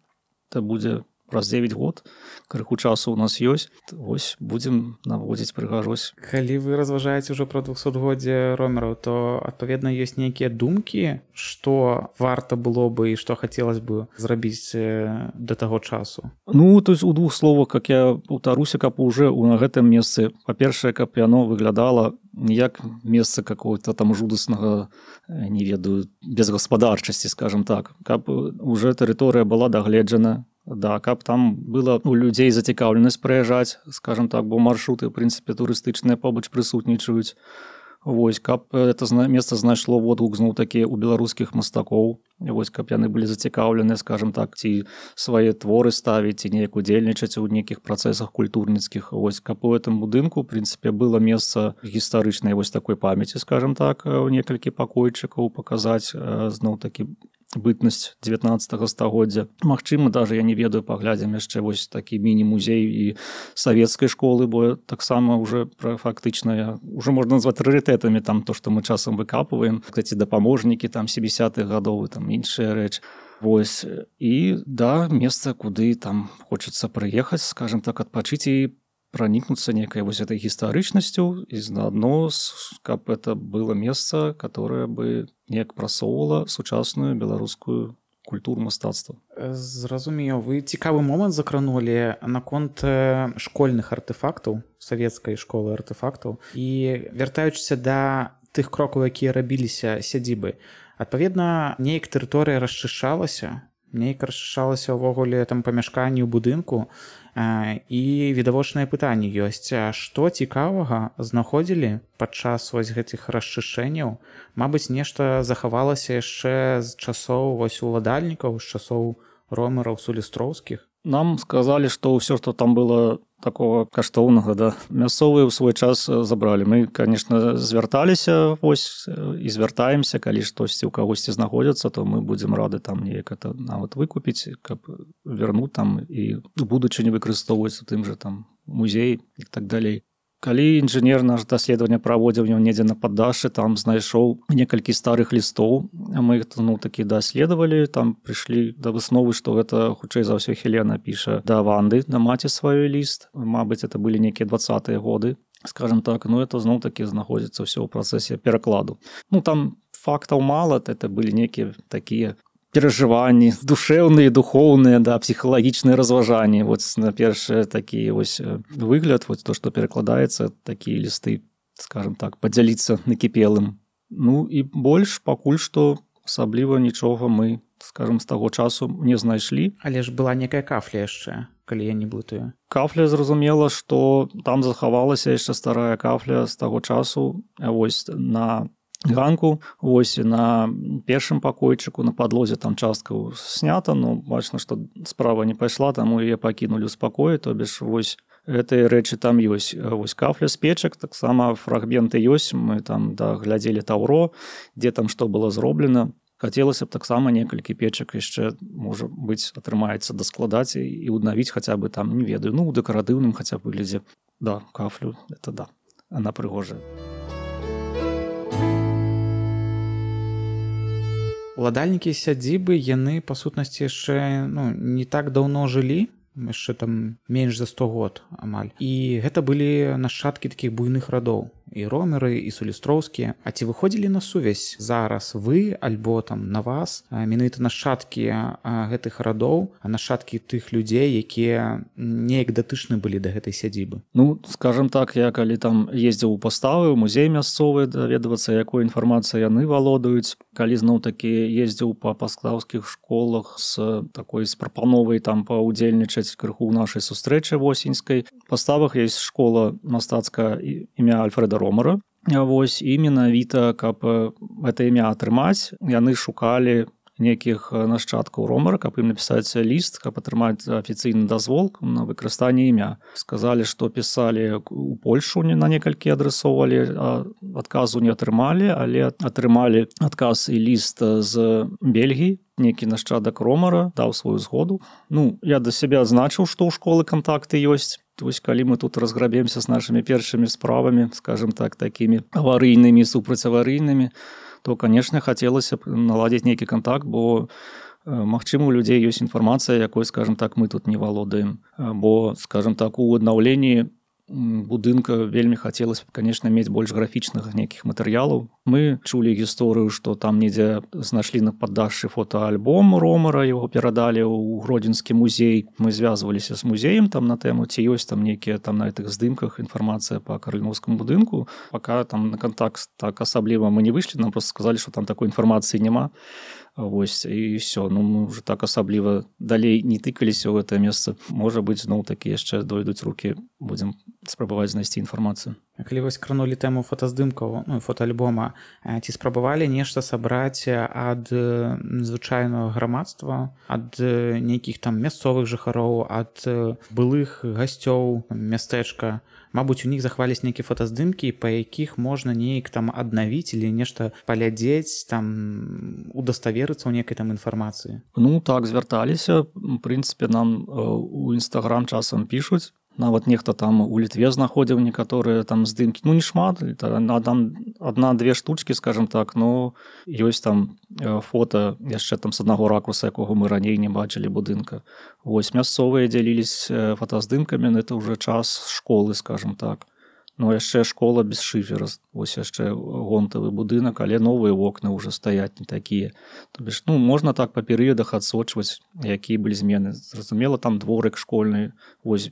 это будзе праз дзевяць год, крыху часу у нас ёсць, вось будзем наводзіць прыгажосць. Калі вы разважаеце ўжо пра двухсотгоддзе ромараў, то адпаведна ёсць нейкія думкі, што варта было бы і што хацелось бы зрабіць да таго часу? Ну, то есть у двух словах, как я паўтаруся, каб уже на гэтым месцы, па-першае, каб яно выглядала не як месца какого-то там жудаснага, не ведаю, безгаспадарчасці, скажем так, каб уже тэрыторыя была дагледжана, да, каб там было у людзей зацікаўленасць прыязджаць, скажем так, бо маршруты, ў прынцыпе, турыстычныя побач прысутнічаюць. Вось, каб это месца знайшло водгук зноў-такі у беларускіх мастакоў, вось, каб яны былі зацікаўлены, скажем так, ці свае творы ставіць, ці неяк удзельнічаць у нейкіх працэсах культурніцкіх. Вось, каб у гэтым будынку, ў прынцыпе, было месца гістарычнай вось такой памяці, скажем так, у некалькі пакойчыкаў паказаць зноў-такі бытнасць дзевятнаццатага стагоддзя. Магчыма, даже я не ведаю, паглядзім яшчэ вось такі міні-музей і савецкай школы, бо таксама уже фактычна уже можна назваць рарытэтамі там то, што мы часам выкапваем, кстати, дапаможнікі там сямідзесятых гадоў, там іншая рэч. Вось, і да, месца, куды там хочацца прыехаць, скажем так, адпачыць і пранікнуцца некай вось этой гістарычнасцю і заадно, каб это было месца, которое бы неяк прасоўвала сучасную беларускую культуру, мастацтва. Зразумеў, вы цікавы момант закранулі наконт школьных артефактаў, савецкай школы артефактаў. І вяртаючыся да тых крокаў, якія рабіліся сядзібы, адпаведна, неяк тэрыторыя расчышчалася, неяк расчышчалася ўвогуле там памяшканні ў будынку, і відавочнае пытанне ёсць, што цікавага знаходзілі падчас вось гэтых расчышчэнняў? Мабыць, нешта захавалася яшчэ з часоў вось уладальнікаў, з часоў ромераў, сулістроўскіх? Нам сказалі, што ўсё, што там было такого каштоўнага, да, мясцовыя ў свой час забралі. Мы, конечно, звярталіся вось і звяртаемся, калі штосьці ў кагосьці знаходзіцца, то мы будзем рады там неяк это нават выкупіць, каб вярнуць там і ў будучыні выкарыстоўваць у тым жа там музей і так далей. Калі інжынер наш даследаванне праводзіў недзе на паддашшы, там знайшоў некалькі старых лістоў, а мы іх ну, такі даследавалі, там прыйшлі да высновы, што гэта хутчэй за ўсё Хелена піша да Ванды, да маці сваёй ліст. Мабыць, это былі нейкія дваццатыя годы, скажем так, ну это зноў такі знаходзіцца ўсё ў працэсе перакладу. Ну там фактаў мала, это былі нейкія такія перажыванні душэўныя, духоўныя, да, псіхалагічныя разважанні. Вот на першы такі вось выгляд, вот то, што перакладаецца, такія лісты, скажем так, падзяліцца накіпелым. Ну і больш пакуль што асабліва нічога мы, скажем, з таго часу не знайшлі. Але ж была некая кафля яшчэ, калі я не блытаю. Кафля, зразумела, што там захавалася яшчэ старая кафля з таго часу, вось на ганку, вось на першым пакойчыку, на падлозе там частка снята, но бачна, што справа не пайшла, таму яе пакінулі ў спакоі, то бишь вось гэтыя рэчы там ёсць. Вось кафля з печак, таксама фрагменты ёсць, мы там да, глядзелі таўро, дзе там што было зроблена. Хацелася б таксама некалькі печак яшчэ, можа быць, атрымаецца даскладаць і ўднавіць хаця бы там, не ведаю, ну, у дэкаратыўным хаця б выглядзе. Да, кафлю, это да, она прыгожая. Уладальнікі сядзібы, яны, па сутнасці, яшчэ ну, не так даўно жылі, яшчэ там менш за сто год амаль. І гэта былі нашчадкі такіх буйных радоў. І ромеры, і сулістроўскія. А ці выходзілі на сувязь зараз вы, альбо там на вас, менавіта нашчадкі гэтых радоў, нашчадкі тых людзей, якія неяк датычны былі да гэтай сядзібы? Ну, скажем так, я калі там ездзіў у паставы, у музей мясцовы, даведвацца, якой інфармацыяй яны валодаюць, калі зноў-такі ездзіў па паскаўскіх школах з такой з прапановай там паўдзельнічаць крыху ў нашай сустрэчы восеньскай. У паставах ёсць школа мастацкая імя Альфрэда Ромера. Вось, і менавіта, каб гэта імя атрымаць, яны шукалі нейкіх нашчадкаў Ромера, каб ім напісаць ліст, каб атрымаць афіцыйны дазвол на выкарыстанне імя. Сказалі, што пісалі у Польшу, на некалькі адрасоўвалі, адказу не атрымалі, але атрымалі адказ і ліст з Бельгіі, нейкі нашчадак Ромера даў сваю згоду. Ну, я да сябе адзначыў, што ў школы кантакты ёсць. Вось калі мы тут разграбемся з нашымі першымі справамі, скажем так, такімі аварыйнымі, супрацьаварыйнымі, то, конечно, хацелася б наладзіць нейкі контакт, бо, магчыма, у людзей ёсць інфармацыя, якой, скажем так, мы тут не валодаем. Бо, скажем так, у аднаўленні будынка вельмі хацелася б, конечно, мець больш графічных нейкіх матэрыялаў. Мы чулі гісторыю, што там недзе знайшлі на паддашшы фотоальбом Ромера, яго перадалі ў Гродзенскі музей. Мы звязваліся з музеем там на тэму, ці ёсць там нейкія там на гэтых здымках інфармацыя па Караліноўскаму будынку. Пака там на контакт так асабліва мы не выйшлі, нам проста сказалі, што там такой інфармацыі няма. Вось, і ўсё, ну мы ўжо так асабліва далей не тыкаліся ў гэтае месца. Можа быць, зноў такі яшчэ дойдуць рукі, будзем спрабаваць знайсці інфармацыю. Калі вось кранулі тэму фотаздымкаў, ну, фотоальбома, ці спрабавалі нешта сабраць ад звычайнага грамадства, ад нейкіх там мясцовых жыхароў, ад былых гасцёў мястэчка? Мабыць, у них захаваліся нейкія фотаздымкі, па якіх можна неяк там аднавіць или нешта паглядзець, там удаставерыцца ў нейкай там інфармацыі. Ну так, звярталіся. В прынцыпе, нам у Інстаграм часам пішуць. Нават нехта там у Літве знаходзіў некаторыя там здымкі. Ну, не шмат, адна-две штучкі, скажем так, но ёсць там фота яшчэ там з аднаго ракурса, якога мы раней не бачылі будынка. Вось, мясцовыя дзяліліся фотаздымкамі, это ўжо час школы, скажем так. Ну яшчэ школа без шыфера, вось яшчэ гонтавы будынак, але новыя вокны ўжо стаяць не такія. То бишь, ну можна так па перыядах адсочваць, якія былі змены. Зразумела, там дворык школьны, вось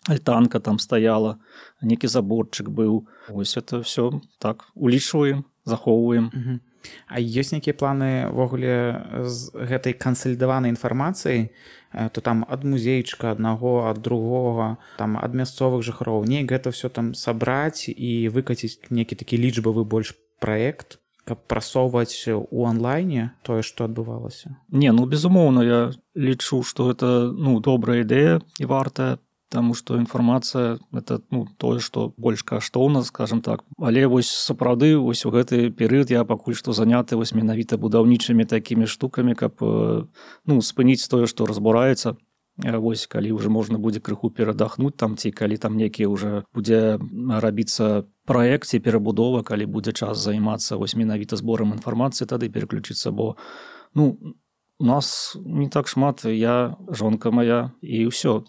альтанка там стаяла, некі заборчык быў. Вось это все так улічваем, захоўваем. Угу. А ёсць нейкія планы ўвогуле з гэтай кансалідаванай інфармацыяй, то там ад музейчыка аднаго, ад другога, там ад мясцовых жыхароў, неяк гэта все там сабраць і выкаціць некі такі лічбавы больш праект, каб прасоўваць у онлайне тое, што адбывалася? Не, ну безумоўна, я лічу, што гэта ну добрая ідэя і вартая. Таму што інфармацыя это ну тое, што больш каштоўна, скажем так. Але вось сапраўды вось у гэты перыяд я пакуль што заняты вось менавіта будаўнічымі такімі штукамі, каб ну спыніць тое, што разбураецца. Вось калі ўжо можна будзе крыху перадахнуць там ці калі там некі ўжо будзе рабіцца праект ці перабудова, калі будзе час займацца вось менавіта зборам інфармацыі, тады пераключыцца, бо ну у нас не так шмат, я, жонка моя і ўсё.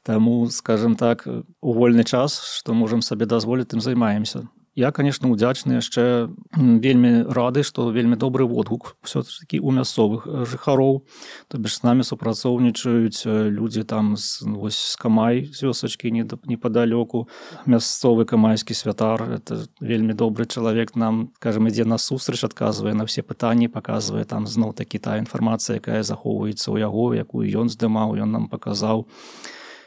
Таму, скажем так, у вольны час, што можам сабе дазволіць, тым займаемся. Я, конечно, удзячны, яшчэ вельмі рады, што вельмі добры водгук все-таки у мясцовых жыхароў. То бишь з намі супрацоўнічаюць людзі там з, вось, з Камай, з вёсачкі непадалёку. Мясцовы камайскі святар, это вельмі добры чалавек, нам, скажем, ідзе насустрач, адказвае на все пытанні, паказвае там зноў такі та інфармацыя, якая захоўваецца ў яго, якую ён здымаў, ён нам паказаў.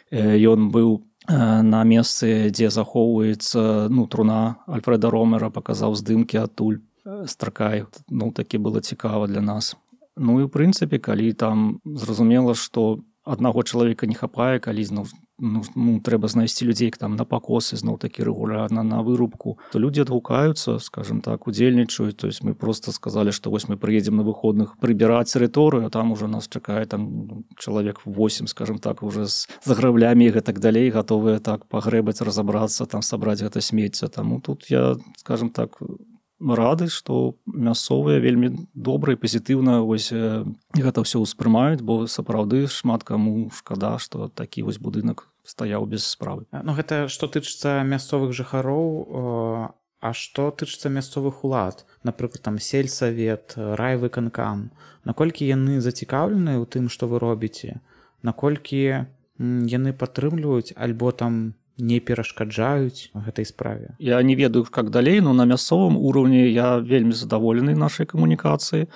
Ён быў на месцы, дзе захоўваецца ну, труна Альфрэда Ромера, паказаў здымкі адтуль Стракай. Ну, такі было цікава для нас. Ну і ў прынцыпе, калі там зразумела, што аднаго чалавека не хапае, калі зноў ну, ну, трэба знайсці людзей там на пакосы, зноў такі рэгулярна на вырубку, то людзі адгукаюцца, скажем так, удзельнічаюць. То есть мы просто сказалі, што вось мы прыедзем на выходных прыбіраць тэрыторыю, а там уже нас чакае там чалавек восемь, скажем так, уже з заграблямі і гэтак далей, гатовыя так пагрэбаць, разабрацца, там сабраць гэта смецце. Таму тут я, скажем так, рады, што мясцовыя вельмі добра і пазітыўна вось гэта ўсё ўспрымаюць, бо сапраўды шмат каму шкада, што такі вось будынак стаяў без справы. Ну гэта што тычыцца мясцовых жыхароў, а што тычыцца мясцовых улад, напрыклад там сельсавет, райвыканкам, наколькі яны зацікаўлены ў тым, што вы робіце, наколькі яны падтрымліваюць альбо там не перашкаджаюць гэтай справе? Я не ведаю, как далей, но на мясцовым уровне я вельмі задаволены нашай камунікацыі.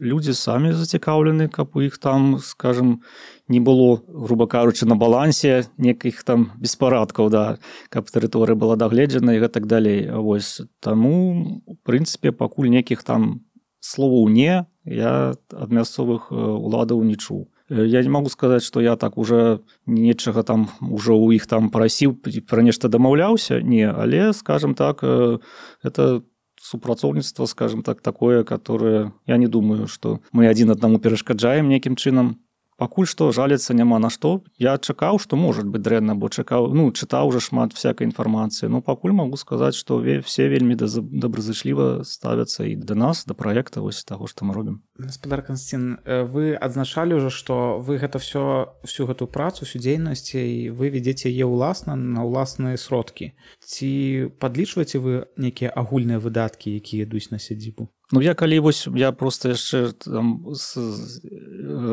Людзі самі зацікаўлены, каб у іх там, скажем, не было, грубо кажучы, на балансе некіх там беспарадкаў, да, каб тэрыторыя была дагледжана і гэтак далей. Вось таму, у прынцыпе, пакуль некіх там словаў не, я ад мясцовых уладаў не чуў. Я не могу сказаць, што я так уже нечага там уже ў іх там прасіў, пра нешта дамаўляўся, не, але, скажем так, это супрацоўніцтва, скажем так, такое, которое, я не думаю, што мы адзін аднаму перашкаджаем нейкім чынам. Пакуль што жаліцца няма на што. Я чакаў, што можа быць дрэнна, бо чакаў, ну, чытаў уже шмат всякай інфармацыі. Но пакуль магу сказаць, што все вельмі добразычліва ставяцца і да нас, да праекта вось таго, што мы робім. Гаспадар Канстанцін, вы адзначалі ўжо, што вы гэта все, всю гэту працу, всю дзейнасць, і вы вядзеце яе ўласна на ўласныя сродкі. Ці падлічваеце вы нейкія агульныя выдаткі, якія ідуць на сядзібу? Ну, я калі вось, я просто яшчэ там с,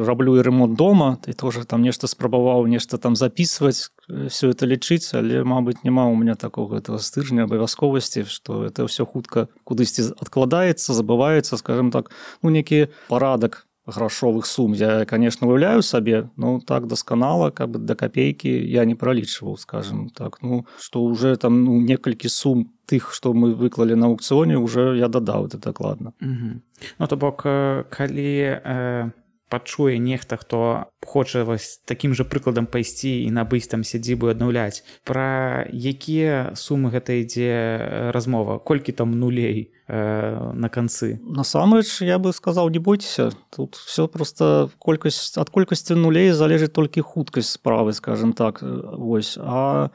раблю і ремонт дома, і тоже там нешта спрабаваў, нешта там записываць, все это лічыць, але, мабыць, няма у меня такого этого стыжня, абавязковасці, што это все хутка кудысьці адкладаецца, забываецца, скажем так, ну, некі парадак грашовых сум. Я, конечно, уяўляю сабе, но так дасканала, как бы до копейки я не пролічваў, скажем так. Ну, што уже там ну, некалькі сум тых, што мы выклалі на аукцыёне, уже я дадаў это дакладна. Угу. Ну, то бок, калі э, пачуе нехта, хто хоча вось такім жа прыкладам пайсці і набыць там сядзібу і аднаўляць, пра якія сумы гэта ідзе размова? Колькі там нулей э, на канцы? Насамрэч, я бы сказаў, не бойцеся. Тут все просто колькасць, ад колькасці нулей залежыць толькі хуткасць справы, скажем так. Вось. А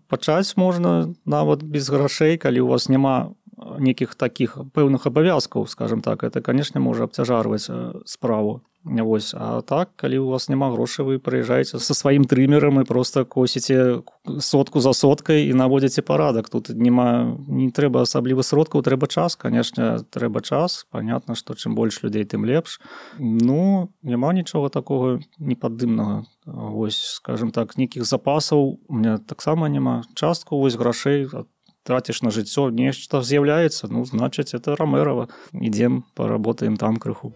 пачаць можна нават без грашэй, калі у вас няма некіх такіх пэўных абавязкаў, скажем так. Это, конечно, можа абцяжарваць справу. Вось. А так, калі у вас няма грошай, вы прыязджаеце са сваім трымерам і проста косіце сотку за соткай і наводзіце парадак. Тут няма, не трэба асабліва сродкаў, трэба час, канешне, трэба час. Понятно, што чым больш людзей, тым лепш. Ну, няма нічога такога непаддымнага. Вось, скажем так, нейкіх запасаў у меня таксама няма. Частку вось грашэй траціш на жыццё, нешта з'яўляецца, ну, значыць, это Ромерова. Ідзем, паработаем там крыху.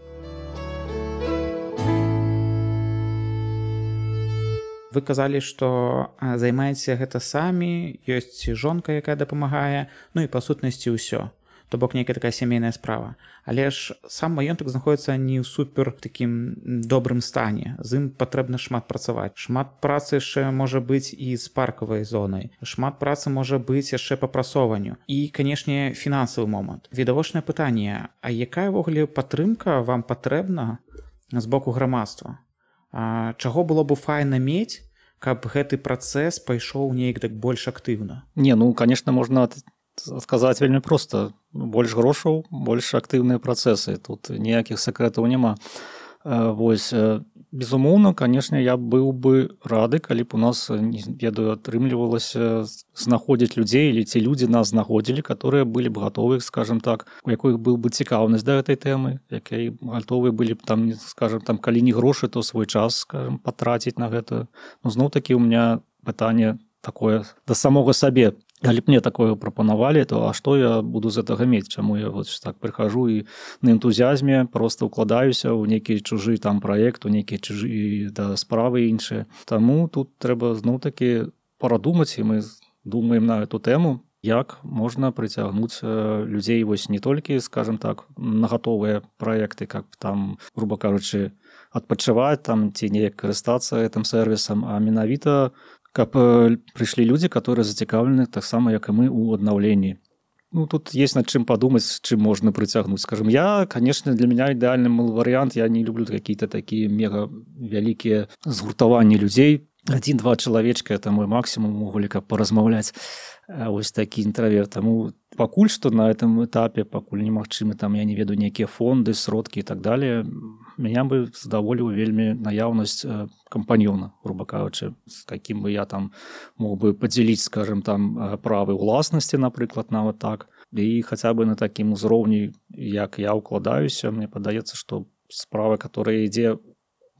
Вы казалі, што займаеце гэта самі, ёсць жонка, якая дапамагае, ну і па сутнасці ўсё. То бок нейкая такая сямейная справа. Але ж сам маёнтак знаходіцца не ў супер такім добрым стане. З ім патрэбна шмат працаваць. Шмат працы яшчэ можа быць і з паркавай зонай. Шмат працы можа быць яшчэ па прасоўванню. І, канешне, фінансавы момант. Відавочнае пытанне, а якая ўвогуле падтрымка вам патрэбна з боку грамадства? А чаго было б файна мець, каб гэты працэс пайшоў неяк так больш актыўна? Не, ну, конечно, можна сказаць вельмі проста. Больш грошаў, больш актыўныя працэсы. Тут ніякіх сакрэтаў няма. Вось, безумоўна, канешне, я быў бы рады, калі б у нас, не ведаю, атрымлівалася знаходзіць людзей, или ці людзі нас знаходзілі, которые былі б гатовы, скажем так, у якой был бы цікаўнасць да гэтай тэмы, якія гатовы былі б там, скажем, там, калі не грошы, то свой час, скажем, патраціць на гэта. Ну, зноў-такі у меня пытанне такое да самога сабе. Калі б мне такое прапанавалі, то а што я буду з гэтага мець? Чаму я вот так прыхожу і на энтузіазме просто укладаюся ў нейкі чужы там праект, у нейкія чужы да, справы іншыя. Таму тут трэба зноў-такі парадумаць, і мы думаем на эту тэму, як можна прыцягнуць людзей вось не толькі, скажем так, на гатовыя праекты, как там, грубо кажучы, адпачываць там ці неяк карыстацца гэтым сервісам, а менавіта каб прыйшлі людзі, которые зацікаўлены таксама, як і мы, у аднаўленні. Ну, тут есть над чым падумаць, чым можна прыцягнуць. Скажем, я, конечно, для меня ідэальны варыянт, я не люблю какие-то такие мега вялікія згуртаванні людзей. Один-два чалавечка, это мой максимум, могулі каб паразмаўляць. Вось такі інтраверт. Таму пакуль што на этом этапе, пакуль немагчымы, там, я не ведаю, нейкія фонды, сродкі і так далее, меня бы задаволіў вельмі наяўнасць кампаньёна, грубо кажучы, з каким бы я там мог бы падзяліць, скажем, там, правы ўласнасці, напрыклад, нават так. І хаця бы на такім узроўні, як я ўкладаюся, мне падаецца, што справа, которая ідзе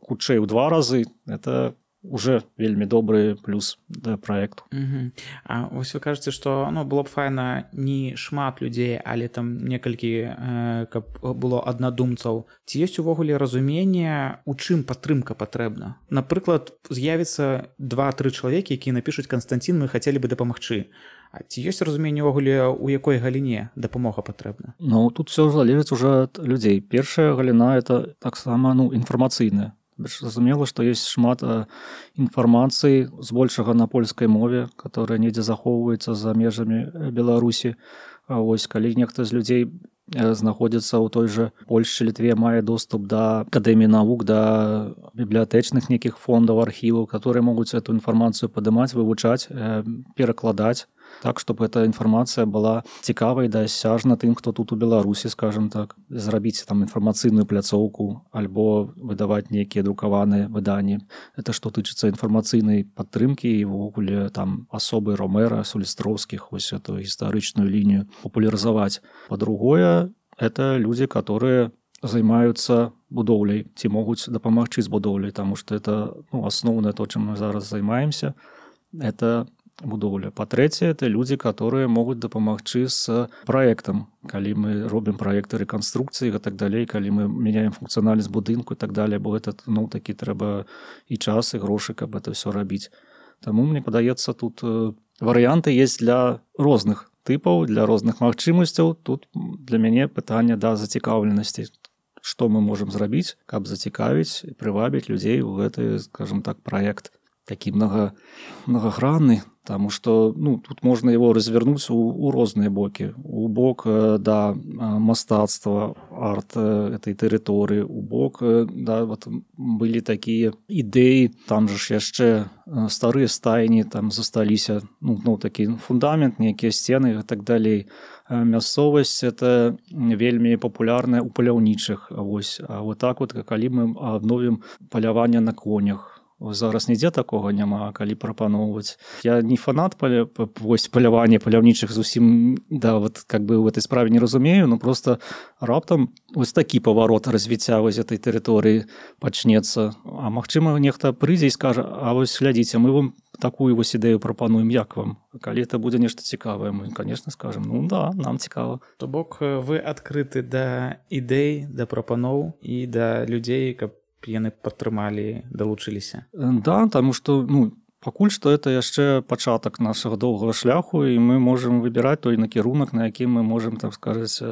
хутчэй ў два разы, это уже вельмі добры плюс да праекту. Угу. А вось вы кажаце, што ну, было б файна не шмат людзей, але там некалькі, э, каб было аднадумцаў. Ці ёсць увогуле разуменне, у чым падтрымка патрэбна? Напрыклад, з'явіцца два-тры чалавекі, якія напішуць: Канстанцін, мы хацелі бы дапамагчы. А ці ёсць разуменне ўвогуле, у якой галіне дапамога патрэбна? Ну, тут все залежыць уже ад людзей. Першая галіна — это таксама ну, інфармацыйная. Зразумела, што ёсць шмат інфармацыі, збольшага на польскай мове, которая недзе захоўваецца за межамі Беларусі. А вось калі нехта з людзей знаходзіцца ў той жа Польшчы, Літве, мае доступ да акадэміі навук, да бібліятэчных нейкіх фондаў, архіваў, которые могуць эту інфармацыю падымаць, вывучаць, перакладаць, так, чтобы эта информация была цікавай, дасяжна тым, хто тут у Беларусі, скажем так, зрабіць там інфармацыйную пляцоўку альбо выдаваць нейкія друкаваныя выданні. Это што тычыцца інфармацыйнай падтрымкі і ўвогуле там асобы Ромера, Сулістроўскіх, вось эту гістарычную лінію папулярызаваць. Па-другое, это людзі, которые займаюцца будоўляй, ці могуць дапамагчы з будоўляй, таму што это ну, асноўнае то, чым мы зараз займаемся, это будоўля. Па-трэцяе, это людзі, которые могуць дапамагчы з праектам, калі мы робім праекты рэканструкцыі і так далей, калі мы мяняем функцыянальнасць будынку і так далее, бо гэта ну, такі трэба і час, і грошы, каб это все рабіць. Таму мне падаецца, тут варыянты есть для розных тыпаў, для розных магчымасцяў. Тут для мяне пытанне да зацікаўленасці. Што мы можам зрабіць, каб зацікавіць і прывабіць людзей у гэты, скажем так, праект такі многа, многагранны. Таму што ну, тут можна его развернуць у, у розныя бокі. У бок да мастацтва, арт этой тэрыторыі, у бок да, вот, былі такія ідэі, там же ж яшчэ старыя стайні там засталіся, ну, ну такі фундамент, нейкія сцены і так далей. Мясцовасць это вельмі папулярная ў паляўнічых. Вось. А вот так вот, калі мы адновім паляванне на конях, зараз нідзе такога няма, калі прапаноўваць. Я не фанат паля... вось, палявання паляўнічых зусім да, вот, как бы, в этой справе не разумею, но просто раптам вось такі паварот развіцця вось этой тэрыторыі пачнецца. А магчыма, нехта прыйдзе і скажа: а вось глядзіце, мы вам такую вось ідэю прапануем, як вам? Калі это будзе нешта цікавае, мы, конечно, скажем: ну да, нам цікава. То бок вы адкрыты да ідэй, да прапаноў і да людзей, каб яны падтрымалі, далучыліся. Да, таму што ну, пакуль што это яшчэ пачатак нашага доўгага шляху, і мы можам выбіраць той накірунак, на якім мы можам, так сказаць,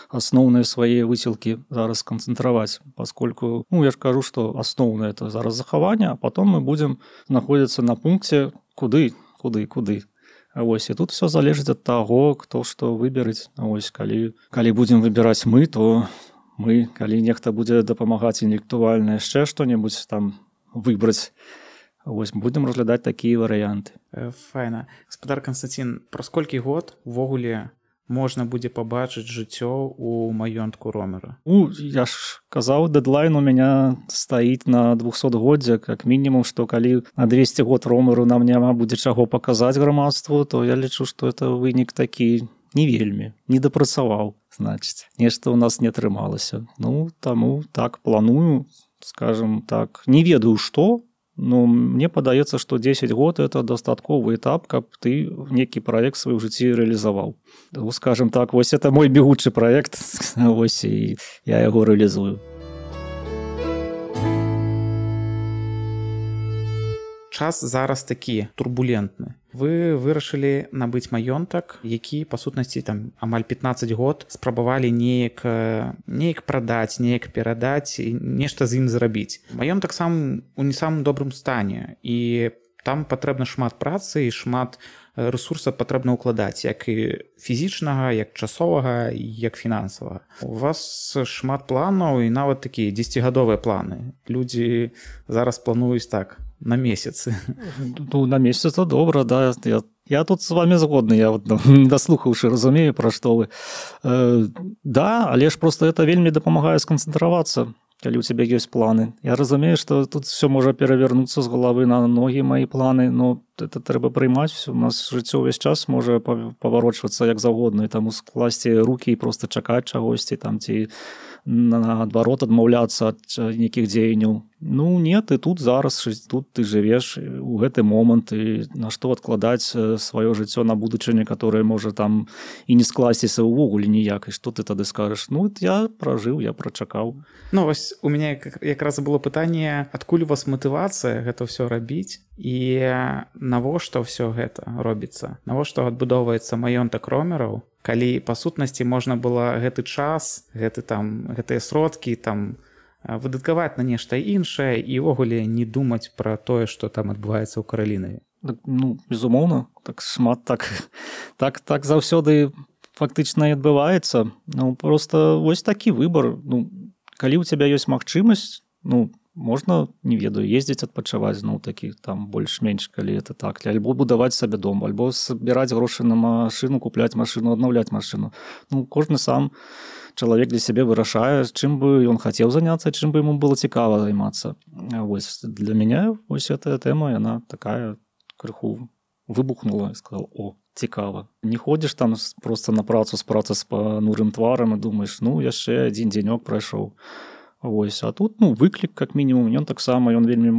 асноўныя свае высілкі зараз канцэнтраваць, паскольку, ну, я ж кажу, што асноўнае это зараз захаванне, а потом мы будзем знаходзіцца на пункце куды, куды, куды. Вось, і тут все залежыць ад таго, хто што выберыць. Вось, калі, калі будзем выбіраць мы, то мы, калі нехта будзе дапамагаць інтэлектуальна яшчэ што-небудзь там выбраць, вось, будзем разглядаць такія варыянты. Файна. Гаспадар Канстанцін, праз колькі год увогуле можна будзе пабачыць жыццё ў маёнтку Ромера? Ну, я ж казаў, дэдлайн у мяне стаіць на двухсотгоддзе, как мінімум, што калі на двесце год Ромеру нам няма будзе чаго паказаць грамадству, то я лічу, што это вынік такі не вельмі, не дапрацаваў, значыць. Нешта ў нас не атрымалася. Ну, таму так планую, скажем так, не ведаю што, но мне падаецца, што дзесяць год это дастатковы этап, каб ты нейкі праект свой у жыцці рэалізаваў. Ну, скажем так, вось это мой бегучы праект, вось і я яго рэалізую. Час зараз такі турбулентны. Вы вырашылі набыць маёнтак, які, па сутнасці, там амаль пятнаццаць год спрабавалі неяк, неяк прадаць, неяк перадаць і нешта з ім зрабіць. Маёнтак сам у не самым добрым стане, і там патрэбна шмат працы і шмат рэсурсаў патрэбна ўкладаць, як і фізічнага, як часовага, як фінансавага. У вас шмат планаў і нават такія дзесяцігадовыя планы. Людзі зараз плануюць так, на месяцы. Ну, на месяц это добра, да. Я, я тут з вами згодны, я вот, ну, даслухаўшы разумею, пра што вы. Э, да, але ж просто это вельмі дапамагае сканцэнтравацца, калі ў цябе ёсць планы. Я разумею, што тут все можа перавярнуцца з галавы на многія мои планы, но это трэба прыймаць. У нас жыццё ўвесь час можа паварочвацца як заўгодна, і таму скласці рукі і проста чакаць чагосьці там, ці наадварот адмаўляцца ад нейкіх дзеянняў. Ну, не, ты тут зараз, тут ты жывеш у гэты момант, і на што адкладаць сваё жыццё на будучыню, которое можа там і не скласціся ўвогуле ніяк, і што ты тады скажаш? Ну, я пражыў, я прачакаў. Ну, вось у мяне якраз было пытанне, адкуль у вас матывацыя гэта ўсё рабіць, і навошта ўсё гэта робіцца? Навошта адбудоўваецца маёнтак Ромераў, калі па сутнасці можна было гэты час, гэты там, гэтыя сродкі там выдаткаваць на нешта іншае і ўвогуле не думаць пра тое, што там адбываецца ў Каралінаве? Ну, безумоўна, так шмат так, так, так заўсёды фактычна і адбываецца. Ну, просто вось такі выбар. Ну, калі ў цябе ёсць магчымасць, ну, можна, не ведаю, ездзіць адпачываць, ну, такі там больш-менш, калі это так, альбо будаваць сабе дом, альбо збіраць грошы на машыну, купляць машыну, аднаўляць машыну. Ну, кожны сам чалавек для сябе вырашае, чым бы ён хацеў заняцца, чым бы яму было цікава займацца. Вось для мяне вось эта тэма, яна такая крыху выбухнула, і сказал: о, цікава. Не ходзіш там просто на працу з працы з панурым тварам і думаеш, ну, яшчэ адзін дзенёк прайшоў. Вось, а тут, ну, выклік, как мінімум, ён таксама, ён вельмі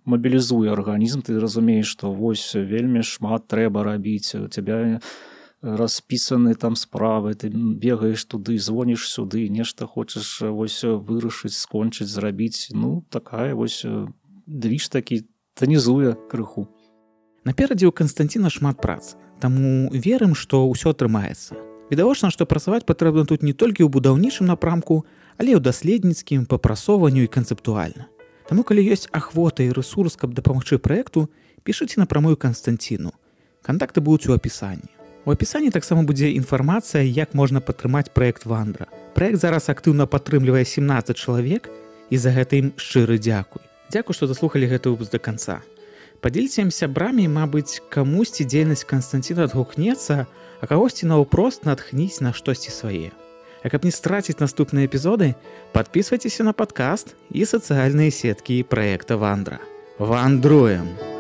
мабілізуе арганізм, ты разумееш, што вось вельмі шмат трэба рабіць, у цябе распісаны там справы, ты бегаеш туды, звоніш сюды, нешта хочаш вось вырашыць, скончыць, зрабіць. Ну, такая вось движ такі танізуе крыху. Наперадзе ў Канстанціна шмат працы, таму верым, што ўсё атрымаецца. Відавочна, што працаваць патрэбна тут не толькі ў будаўнічым напрамку, але і ў даследніцкім, папрасоўванню і канцэптуальна. Таму, калі ёсць ахвота і рэсурс, каб дапамагчы праекту, пішыце напрамую Канстанціну. Кантакты будуць у апісанні. У апісанні таксама будзе інфармацыя, як можна падтрымаць праект Вандра. Праект зараз актыўна падтрымлівае сямнаццаць чалавек, і за гэта ім шчыры дзякуй. Дзякуй, што даслухалі гэты выпуск да канца. Падзеліце ім сябрамі, мабыць, камусьці дзейнасць Канстанціна адгукнецца, а кагосьці наўпрост натхніць на штосьці свае. А каб не страціць наступныя эпізоды, падпісвайцеся на падкаст і сацыяльныя сеткі праекта Вандра. Вандруем!